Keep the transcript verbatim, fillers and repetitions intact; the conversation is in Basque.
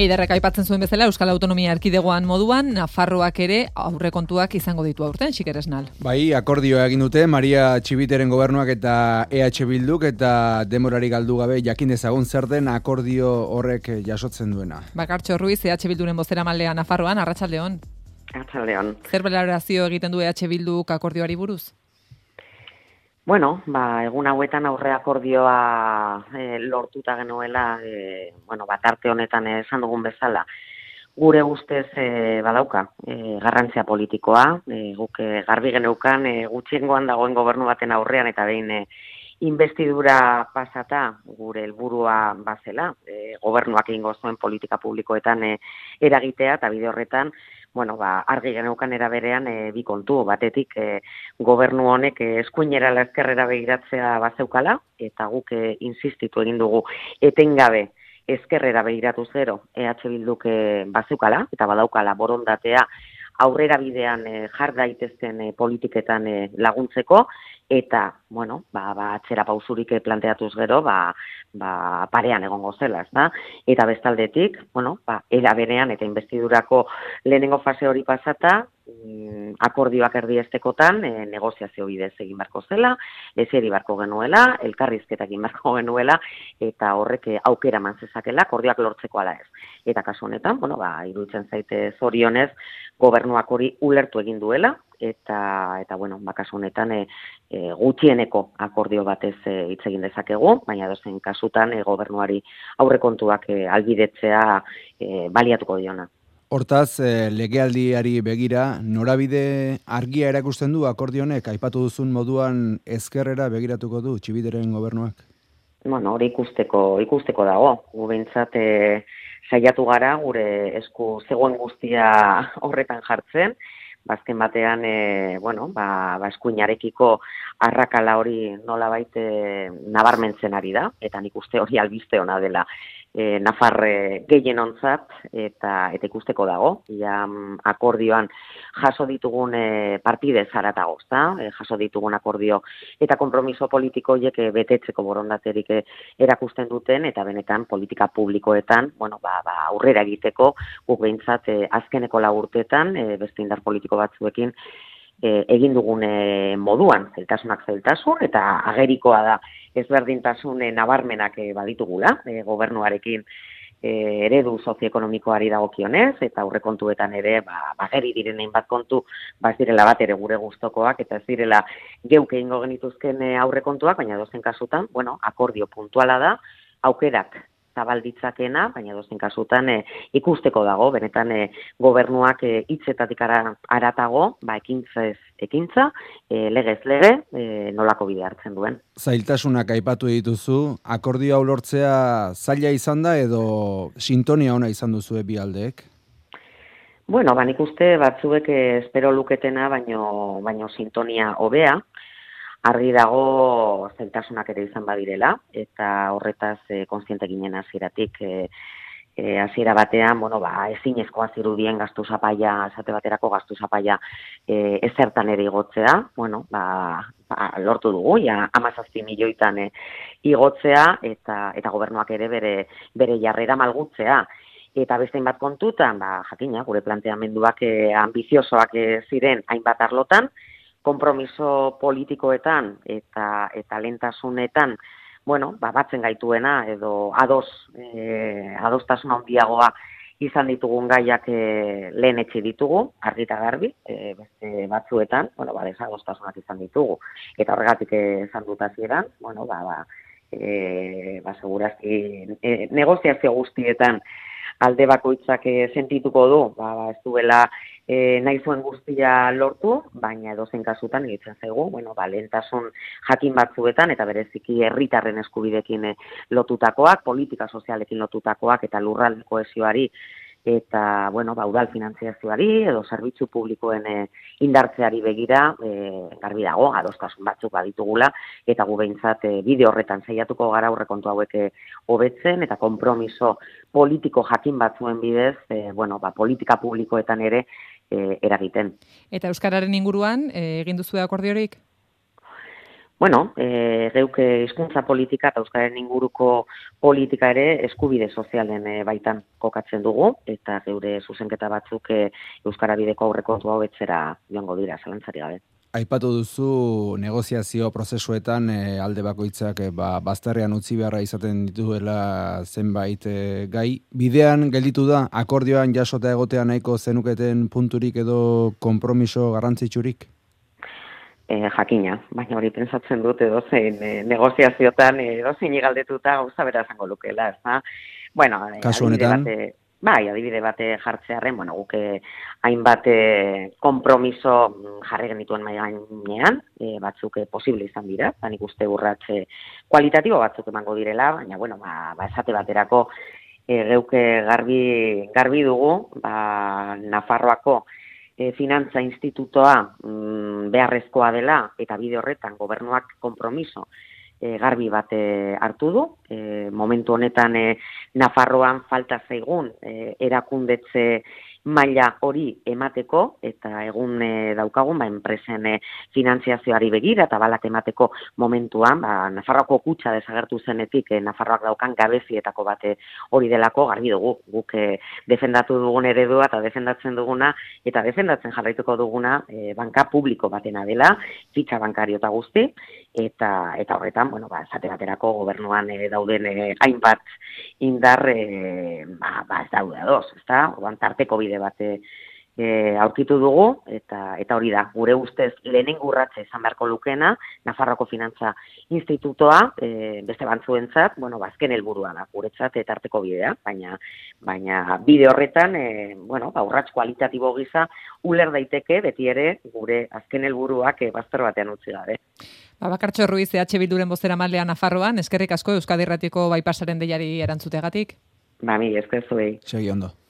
Eiderrek aipatzen zuen bezala Euskal Autonomia Erkidegoan moduan, Nafarroak ere aurrekontuak izango ditu aurten, Xikeresnal. Bai, akordioa egin dute Maria Txibiteren gobernuak eta E H Bilduk eta demorari galdu gabe jakin dezagun zer den akordio horrek jasotzen duena. Bakartxo Ruiz, E H Bilduren bozeramalea Nafarroan, arratsaldeon. Arratsaldeon. Zer balorazio egiten du E H Bilduk akordioari buruz? Bueno, ba, egun hauetan aurre akordioa e, lortuta genuela, e, bueno, bat arte honetan esan dugun bezala, gure ustez e, badauka, e, garrantzia politikoa, e, guk e, garbi geneukan e, gutxiengoan dagoen gobernu baten aurrean eta behin e, investidura pasata gure helburua bazela, e, gobernuak egingo zuen politika publikoetan e, eragitea eta bide horretan, bueno, ba, argi geneukan eraberean e, bi kontu, batetik e, gobernu honek e, eskuinera la ezkerrera begiratzea bazeukala, eta guk e, insistitu egin dugu etengabe ezkerrera begiratu zero E H Bilduk e, bazeukala, eta badaukala borondatea aurrera bidean e, jar daitezken e, politiketan e, laguntzeko, eta, bueno, ba, ba atzera pausurik planteatuz gero, ba, ba parean egongo zela, ezta? Eta bestaldetik, bueno, ba, era berean eta investidurako lehenengo fase hori pasata, mm, akordioak erdiestekotan, e, negoziazio bidez egin barko zela, ezeri barko genuela, elkarrizketak egin barko genuela, eta horrek aukera eman zezakela, akordioak lortzeko ala ez. Eta kasu honetan, bueno, ba, iruditzen zaite zorionez, gobernuak hori ulertu egin duela, eta eta bueno, ba kasu honetan e, e, gutxieneko akordio batez e, hitz egin dezakegu, baina dozen kasutan e, gobernuari aurrekontuak e, albidetzea e, baliatuko diona. Hortaz, e, legealdiari begira, norabide argia erakusten du akordio honek, aipatu duzun moduan ezkerrera begiratuko du Txibiteren gobernuak? Bueno, hori ikusteko, ikusteko dago. Gu behintzat e, saiatu gara gure esku zegoen guztia horretan jartzen, bazken batean, e, bueno, ba, ba eskuinarekiko arrakala hori nolabait e, nabarmentzen ari da, eta nik uste hori albiste ona dela e, Nafarre gehienontzat, eta eta ikusteko dago, ja akordioan jaso ditugun e, partidez haratago, ezta? E, jaso ditugun akordio eta konpromiso politiko horiek e, betetzeko borondaterik e, erakusten duten, eta benetan politika publikoetan, bueno, ba, ba aurrera egiteko, guk behintzat e, azkeneko lau urteetan, e, beste indar politiko batzuekin e, egin dugun e, moduan, zeltasunak zeltasun, eta agerikoa da ezberdintasun e, nabarmenak e, baditugula, e, gobernuarekin e, eredu sozioekonomikoari dagokionez, eta aurrekontuetan ere, ba, bageri diren hainbat kontu, ba ez direla bat ere gure gustokoak, eta ez direla geuk egingo genituzken e, aurrekontuak, baina dozen kasutan, bueno, akordio puntuala da, aukerak zabalditzakena, baina dozen kasutan e, ikusteko dago, benetan e, gobernuak e, hitzetatik ara, aratago, ba ekintzez ekintza, e, legez lege, e, nolako bide hartzen duen. Zailtasunak aipatu dituzu, akordio hau lortzea zaila izan da edo sintonia ona izan duzu bi aldeek? Bueno, ba nik uste batzuek espero luketena, baino, baino sintonia hobea, argi dago zailtasunak ere izan badirela, eta horretaz e, kontziente ginen hasieratik e, e, hasiera batean, bueno, ba, ezinezkoa zirudien gastu zapaia, esate baterako gastu zapaia e, ezertan ere igotzea, bueno, ba, ba, lortu dugu, ja, hamazazpi milioitan e, igotzea, eta, eta gobernuak ere bere, bere jarrera malgutzea. Eta beste hainbat kontutan, ba, jakina, gure planteamenduak e, ambiziosoak e, ziren hainbat arlotan, konpromiso politikoetan eta eta lentasunetan, bueno, ba, batzen gaituena edo ados, e, adostasun handiagoa izan ditugun gaiak e, lehen etxe ditugu, argi eta garbi, e, beste batzuetan, bueno, ba, desadostasunak izan ditugu. Eta horregatik esan dut hasieran, bueno, ba, ba, e, ba, segurazki e, negoziazio guztietan alde bakoitzak e, sentituko du, ba, ba, ez duela e, nahi zuen guztia lortu, baina edozein kasutan egitzen zaigu, bueno, ba, lehentasun jakin batzuetan, eta bereziki herritarren eskubidekin e, lotutakoak, politika sozialekin lotutakoak, eta lurralde kohesioari, eta, bueno, ba, udal finantziazioari, edo zerbitzu publikoen e, indartzeari begira, e, garbi dago, adostasun batzuk baditugula, eta gu behintzat e, bide horretan saiatuko gara aurrekontu hauek hobetzen, eta konpromiso politiko jakin batzuen bidez, e, bueno, ba, politika publikoetan ere e, eragiten. Eta euskararen inguruan, e, egin duzu akordiorik? bueno, e, geuke hizkuntza politika eta euskaren inguruko politika ere eskubide sozialen e, baitan kokatzen dugu, eta geure zuzenketa batzuk e, euskara bideko aurrekontu hau betzera joango dira, zalantzari gabe. Aipatu duzu negoziazio prozesuetan e, alde bakoitzak e, ba, bazterrean utzi beharra izaten dituela zenbait e, gai. Bidean gelditu da, akordioan jasota egotea nahiko zenuketen punturik edo konpromiso garrantzitsurik? E, jakina, baina hori pentsatzen dut edozein e, negoziaziotan edozein galdetuta gauza bera izango lukeela, ez da? Bueno, kasu honetan, bate, bai, adibide bate jartzearren, bueno, guke hainbat konpromiso jarri genituen mai gainean, e, batzuk e, posible izan dira, ba nik uste urratze kualitatibo batzuk emango direla, baina bueno, ba, ba esate baterako e, geuke garbi garbi dugu, ba Nafarroako e, finantza institutoa mm, beharrezkoa dela eta bide horretan gobernuak konpromiso E, garbi bat e, hartu du. E, momentu honetan e, Nafarroan falta zaigun e, erakundetze maila hori emateko eta egun e, daukagun ba, enpresen e, finantziazioari begira eta balak emateko momentuan ba, Nafarroako kutxa desagertu zenetik e, Nafarroak daukan gabezietako bate hori delako garbi dugu. Guk e, defendatu dugun eredua eta defendatzen duguna eta defendatzen jarraituko duguna e, banka publiko batena dela, fitxa bankario eta guzti, eta eta horretan, bueno, ba, esate baterako gobernuan e, dauden e, hainbat indar e, ba, ba, ez daude ados, ezta? Orduan tarteko bide bate e, aurkitu dugu, eta eta hori da, gure ustez lehenengo urratsa izan beharko lukena, Nafarroako Finantza Institutoa, e, beste bantzuentzat, bueno, ba, azken helburua da, guretzat eta tarteko bidea, baina baina bide horretan, e, bueno, ba, urrats kualitatibo gisa uler daiteke beti ere gure azken helburuak e, bazter batean utzi gabe. Ba, Bakartxo Ruiz, E H Bilduren bozeramailea Nafarroan, eskerrik asko Euskadi Irratiko Baipasaren deiari erantzutegatik. Ba, mi, esker zuei. Segi ondo.